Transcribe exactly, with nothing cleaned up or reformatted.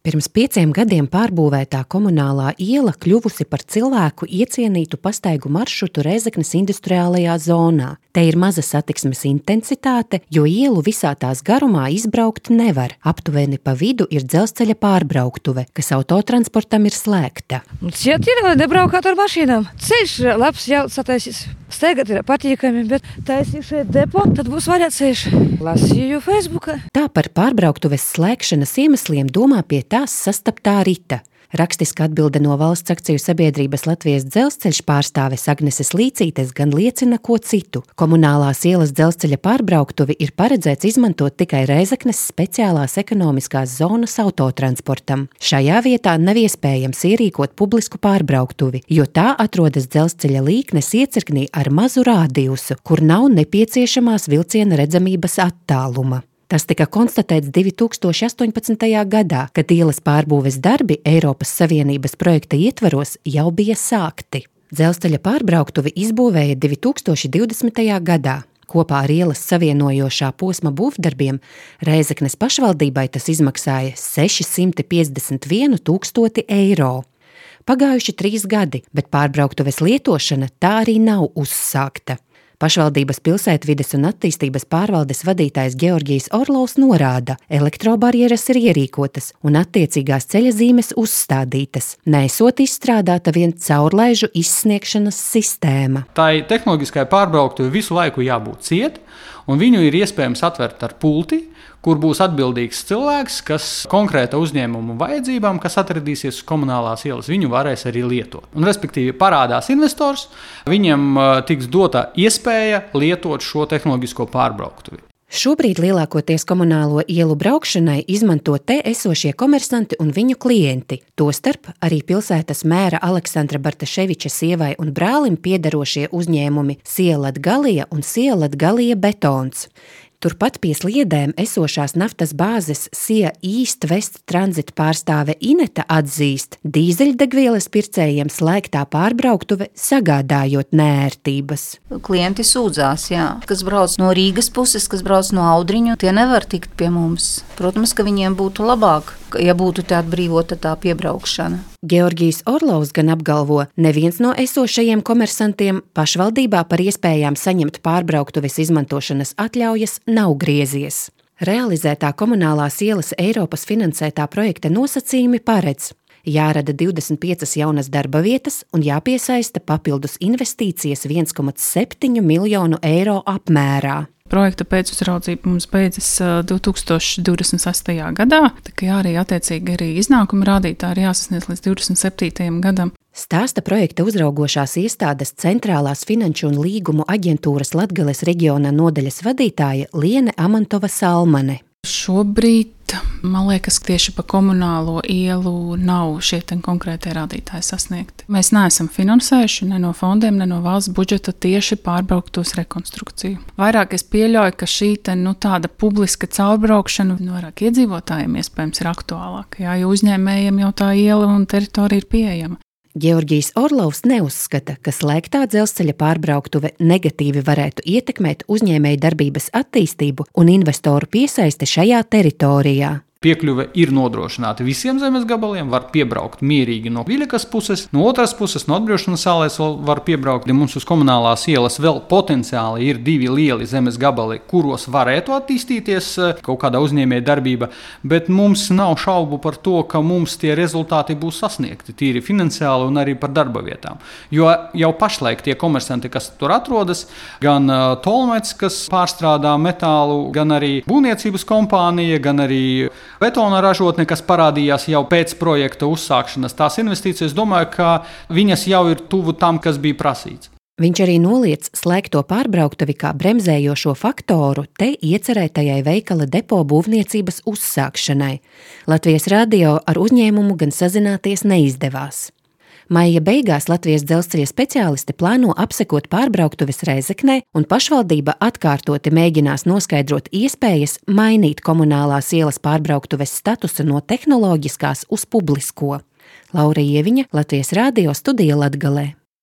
Pirms pieciem gadiem pārbūvētā komunālā iela kļuvusi par cilvēku iecienītu pastaigu maršrutu Rēzeknes industriālajā zonā. Te ir maza satiksmes intensitāte, jo ielu visā tās garumā izbraukt nevar. Aptuveni pa vidu ir dzelzceļa pārbrauktuve, kas autotransportam ir slēgta. Ciet ir, lai nebraukāt ar mašīnām. Ceļš labs jau sataisīs. Steigat ir patīkami, bet taisīt šeit depo, tad būs vaļā ceļš. Lasīju Facebookā. Tā par pārbrauktuves slēgšanas iemesliem domā pie tās sastaptā Rita. Rakstiska atbilde no valsts akciju sabiedrības Latvijas dzelzceļš pārstāves Agneses Līcītes gan liecina ko citu. Komunālās ielas dzelzceļa pārbrauktuvi ir paredzēts izmantot tikai Rēzeknes speciālās ekonomiskās zonas autotransportam. Šajā vietā nav iespējams ierīkot publisku pārbrauktuvi, jo tā atrodas dzelzceļa līknes iecirknī ar mazu rādiusu, kur nav nepieciešamās vilciena redzamības attāluma. Tas tika konstatēts divi tūkstoši astoņpadsmitajā gadā, kad ielas pārbūves darbi Eiropas Savienības projekta ietvaros jau bija sākti. Dzelzceļa pārbrauktuvi izbūvēja divi tūkstoši divdesmitajā gadā. Kopā ar ielas savienojošā posma būvdarbiem Rēzeknes pašvaldībai tas izmaksāja sešsimt piecdesmit vienu tūkstoti eiro. Pagājuši trīs gadi, bet pārbrauktuves lietošana tā arī nav uzsākta. Pašvaldības pilsētvides un attīstības pārvaldes vadītājs Georgijs Orlovs norāda, elektrobarjeras ir ierīkotas un attiecīgās ceļa zīmes uzstādītas, nesot izstrādāta vien caurlaižu izsniegšanas sistēma. Tai tehnoloģiskai pārbrauktuvi visu laiku jābūt ciet, un viņu ir iespējams atvērt ar pulti, kur būs atbildīgs cilvēks, kas konkrēta uzņēmuma vajadzībām, kas atradīsies uz komunālās ielas, viņu varēs arī lietot. Un, respektīvi, parādās investors, viņam tiks dota iespēja lietot šo tehnoloģisko pārbrauktuvi. Šobrīd lielākoties komunālo ielu braukšanai izmanto te esošie komersanti un viņu klienti, tostarp arī pilsētas mēra Aleksandra Bartaševiča sievai un brālim piederošie uzņēmumi Sielatgalija un Sielatgalija betons. Turpat pie sliedēm esošās naftas bāzes Sia East West tranzita pārstāve Ineta atzīst, dīzeļdegvielas pircējiem slēgtā pārbrauktuve sagādājot neērtības. Klienti sūdzās, jā, kas brauc no Rīgas puses, kas brauc no Audriņu, tie nevar tikt pie mums. Protams, ka viņiem būtu labāk, ja būtu tā atbrīvota tā piebraukšana. Georgijs Orlovs gan apgalvo, neviens no esošajiem komersantiem pašvaldībā par iespējām saņemt pārbrauktuves izmantošanas atļaujas nav griezies. Realizētā komunālās ielas Eiropas finansētā projekta nosacījumi paredz: jārada divdesmit piecas jaunas darba vietas un jāpiesaista papildus investīcijas viens komats septiņi miljonu eiro apmērā. Projekta pēcuzraudzība mums beidzas divi tūkstoši divdesmit sestajā gadā, tā kā arī attiecīgi arī iznākuma rādītāji ir jāsasniedz līdz divdesmit septītajam gadam. Stāsta projekta uzraugošās iestādes Centrālās finanšu un līgumu aģentūras Latgales reģiona nodaļas vadītāja Liene Amantova Salmane. Šobrīd, man liekas, tieši pa komunālo ielu nav šie konkrētie rādītāji sasniegti. Mēs neesam finansējuši ne no fondiem, ne no valsts budžeta tieši pārbrauktos rekonstrukciju. Vairāk es pieļauju, ka šī te, nu, tāda publiska caurbraukšana no vairāk iedzīvotājiem iespējams ir aktuālāka, jā, jo uzņēmējiem jau tā iela un teritorija ir pieejama. Georgijs Orlovs neuzskata, ka slēgtā dzelzceļa pārbrauktuve negatīvi varētu ietekmēt uzņēmēju darbības attīstību un investoru piesaisti šajā teritorijā. Piekļuve ir nodrošināta visiem zemes gabaliem, var piebraukt mierīgi no Viļakas puses, no otras puses, no atbrīvošanas salēs var piebraukt. Mums uz komunālās ielas vēl potenciāli ir divi lieli zemes gabali, kuros varētu attīstīties kaut kāda uzņēmēja darbība, bet mums nav šaubu par to, ka mums tie rezultāti būs sasniegti, tīri finansiāli un arī par darba vietām. Jo jau pašlaik tie komersanti, kas tur atrodas, gan Tolmets, kas pārstrādā metālu, gan arī būvniecības kompānija, gan arī betona ražotne, kas parādījās jau pēc projekta uzsākšanas, tās investīcijas, domāju, ka viņas jau ir tuvu tam, kas bija prasīts. Viņš arī noliec slēgto pārbrauktuvi kā bremzējošo faktoru te iecerētajai veikala depo būvniecības uzsākšanai. Latvijas radio ar uzņēmumu gan sazināties neizdevās. Maija beigās Latvijas dzelzceļa speciālisti plāno apsekot pārbrauktuves Rēzeknē, un pašvaldība atkārtoti mēģinās noskaidrot iespējas mainīt komunālās ielas pārbrauktuves statusu no tehnoloģiskās uz publisko. Laura Ieviņa, Latvijas radio studija Latgalē.